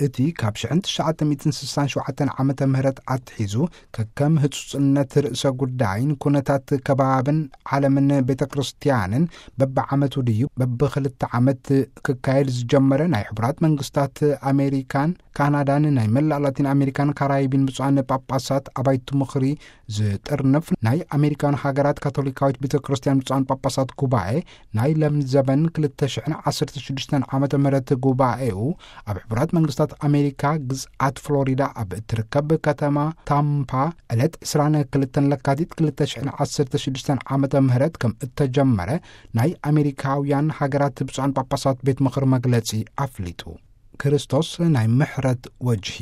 እቲ ካብ ሽሕን ትሽዓተ ሚእትን ስሳን ሸውዓተን ዓመተ ምህረት ኣትሒዙ ከከም ህጹጽነት ርእሰ ጉዳይን ኩነታት ከባብን ዓለምን ቤተ ክርስቲያንን በብዓመቱ ድዩ በብኽልተ ዓመት ክካየድ ዝጀመረ ናይ ሕቡራት መንግስታት ኣሜሪካን ካናዳን ናይ መላእ ላቲን ኣሜሪካን ካራይቢን ብፁዓን ጳጳሳት ኣባይቲ ምኽሪ ዝጥርንፍ ናይ ኣሜሪካን ሃገራት ካቶሊካዊት ቤተ ክርስቲያን ብፁዓን ጳጳሳት ጉባኤ ናይ ለምዘበን ክልተ ሽሕን ዓሰርተ ሽዱሽተን ዓመተ ምህረት ጉባኤኡ ኣብ ሕቡራት መንግስታት ኣሜሪካ ግዝኣት ፍሎሪዳ ኣብ እትርከብ ከተማ ታምፓ ዕለት ዕስራን ክልተን ለካቲት ክልተ ሽሕን ዓሰርተ ሽዱሽተን ዓመተ ምህረት ከም እተጀመረ ናይ ኣሜሪካውያን ሃገራት ብፁዓን ጳጳሳት ቤት ምኽሪ መግለጺ ኣፍሊጡ። ክርስቶስ ናይ ምሕረት ወጅሂ።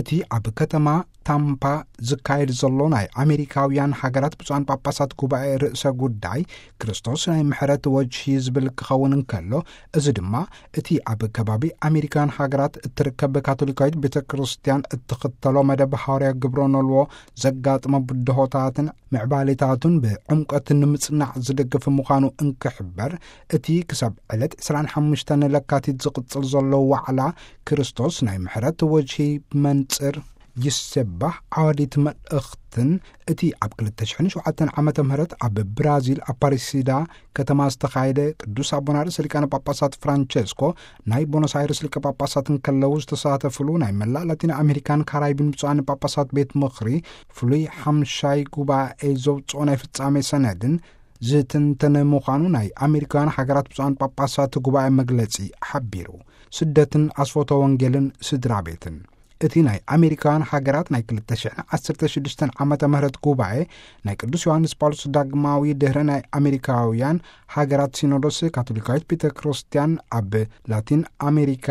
እቲ ኣብ ከተማ ታምፓ ዝካየድ ዘሎ ናይ ኣሜሪካውያን ሃገራት ብፁዓን ጳጳሳት ጉባኤ ርእሰ ጉዳይ ክርስቶስ ናይ ምሕረት ወጅሂ ዝብል ክኸውን እንከሎ፣ እዚ ድማ እቲ ኣብ ከባቢ ኣሜሪካውያን ሃገራት እትርከብ ካቶሊካዊት ቤተ ክርስቲያን እትኽተሎ መደብ ሃዋርያ ግብረ ኖልዎ ዘጋጥሞ ብድሆታትን ምዕባሌታቱን ብዕምቀት ንምጽናዕ ዝደግፍ ምዃኑ እንክሕበር፣ እቲ ክሳብ ዕለት ዕስራን ሓሙሽተን ለካቲት ዝቕጽል ዘሎ ዋዕላ ክርስቶስ ናይ ምሕረት ወጅሂ ብመንጽር ይሴባህ ዓዋዲት መልእኽትን እቲ ኣብ ክልተ ሽሕን ሸውዓተን ዓመተ ምህረት ኣብ ብራዚል ኣፓሪሲዳ ከተማ ዝተኻየደ ቅዱስ ኣቦና ርእሰ ሊቃነ ጳጳሳት ፍራንቸስኮ ናይ ቦኖስ ኣይረስ ሊቀ ጳጳሳት እንከለዉ ዝተሳተፍሉ ናይ መላእ ላቲን ኣሜሪካን ካራይቢን ብፁዓን ጳጳሳት ቤት ምኽሪ ፍሉይ ሓምሻይ ጉባኤ ዘውፅኦ ናይ ፍጻሜ ሰነድን ዝትንተነ ምዃኑ ናይ ኣሜሪካውያን ሃገራት ብፁዓን ጳጳሳት ጉባኤ መግለጺ ሓቢሩ። ስደትን ኣስፎቶ ወንጌልን ስድራ ቤትን። እቲ ናይ ኣሜሪካውያን ሃገራት ናይ ክልተ ሽሕን ዓሰርተ ሽዱሽተን ዓመተ ምህረት ጉባኤ ናይ ቅዱስ ዮሃንስ ጳውሎስ ዳግማዊ ድህረ ናይ ኣሜሪካውያን ሃገራት ሲኖዶስ ካቶሊካዊት ቤተ ክርስቲያን ኣብ ላቲን ኣሜሪካ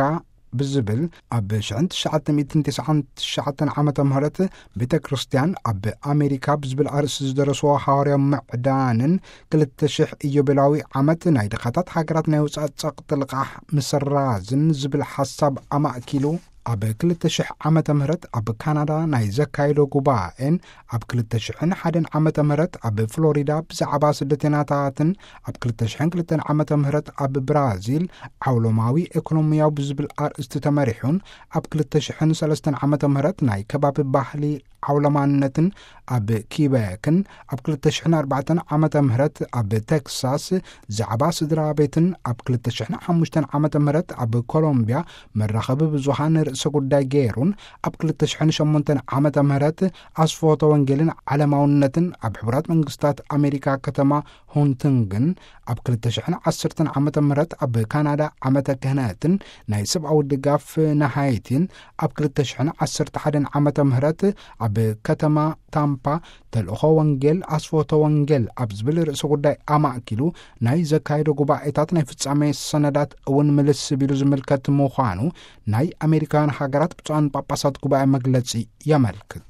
ብዝብል ኣብ ሽሕን ትሽዓተ ሚእትን ተስዓን ትሽዓተን ዓመተ ምህረት ቤተ ክርስቲያን ኣብ ኣሜሪካ ብዝብል ኣርእስቲ ዝደረስዎ ሃዋርያዊ ምዕዳንን ክልተ ሽሕ ኢዮቤላዊ ዓመት ናይ ድኻታት ሃገራት ናይ ውጻእ ጸቕጢ ልቓሕ ምስራዝን ዝብል ሓሳብ ኣማእኪሉ ኣብ ክልተ ሽሕ ዓመተ ምህረት ኣብ ካናዳ ናይ ዘካየዶ ጉባኤን ኣብ ክልተ ሽሕን ሓደን ዓመተ ምህረት ኣብ ፍሎሪዳ ብዛዕባ ስደተኛታትን ኣብ ክልተ ሽሕን ክልተን ዓመተ ምህረት ኣብ ብራዚል ዓውሎማዊ ኤኮኖሚያዊ ብዝብል ኣርእስቲ ተመሪሑን ኣብ ክልተ ሽሕን ሰለስተን ዓመተ ምህረት ናይ ከባቢ ባህሊ ዓውለማነትን ኣብ ኪበክን ኣብ ክልተ ሽሕን ኣርባዕተን ዓመተ ምህረት ኣብ ቴክሳስ ዛዕባ ስድራ ቤትን ኣብ ክልተ ሽሕን ሓሙሽተን ዓመተ ምህረት ኣብ ኮሎምቢያ መራኸቢ ብዙሃን ርእሰ ጉዳይ ገይሩን ኣብ ክልተ ሽሕን ሸሞንተን ዓመተ ምህረት ኣስፎተ ወንጌልን ዓለማውነትን ኣብ ሕቡራት መንግስታት ኣሜሪካ ከተማ ሆንቲንግን ኣብ ክልተ ሽሕን ዓሰርተን ዓመተ ምህረት ኣብ ካናዳ ዓመተ ክህነትን ናይ ሰብኣዊ ድጋፍ ንሃይቲን ኣብ ክልተ ሽሕን ዓሰርተ ሓደን ዓመተ ምህረት ኣብ ከተማ ታምፓ ተልእኾ ወንጌል ኣስፎተ ወንጌል ኣብ ዝብል ርእሰ ጉዳይ ኣማእኪሉ ናይ ዘካየዶ ጉባኤታት ናይ ፍጻሜ ሰነዳት እውን ምልስ ቢሉ ዝምልከት ምዃኑ ናይ ኣሜሪካውያን ሃገራት ብፁዓን ጳጳሳት ጉባኤ መግለጺ የመልክት።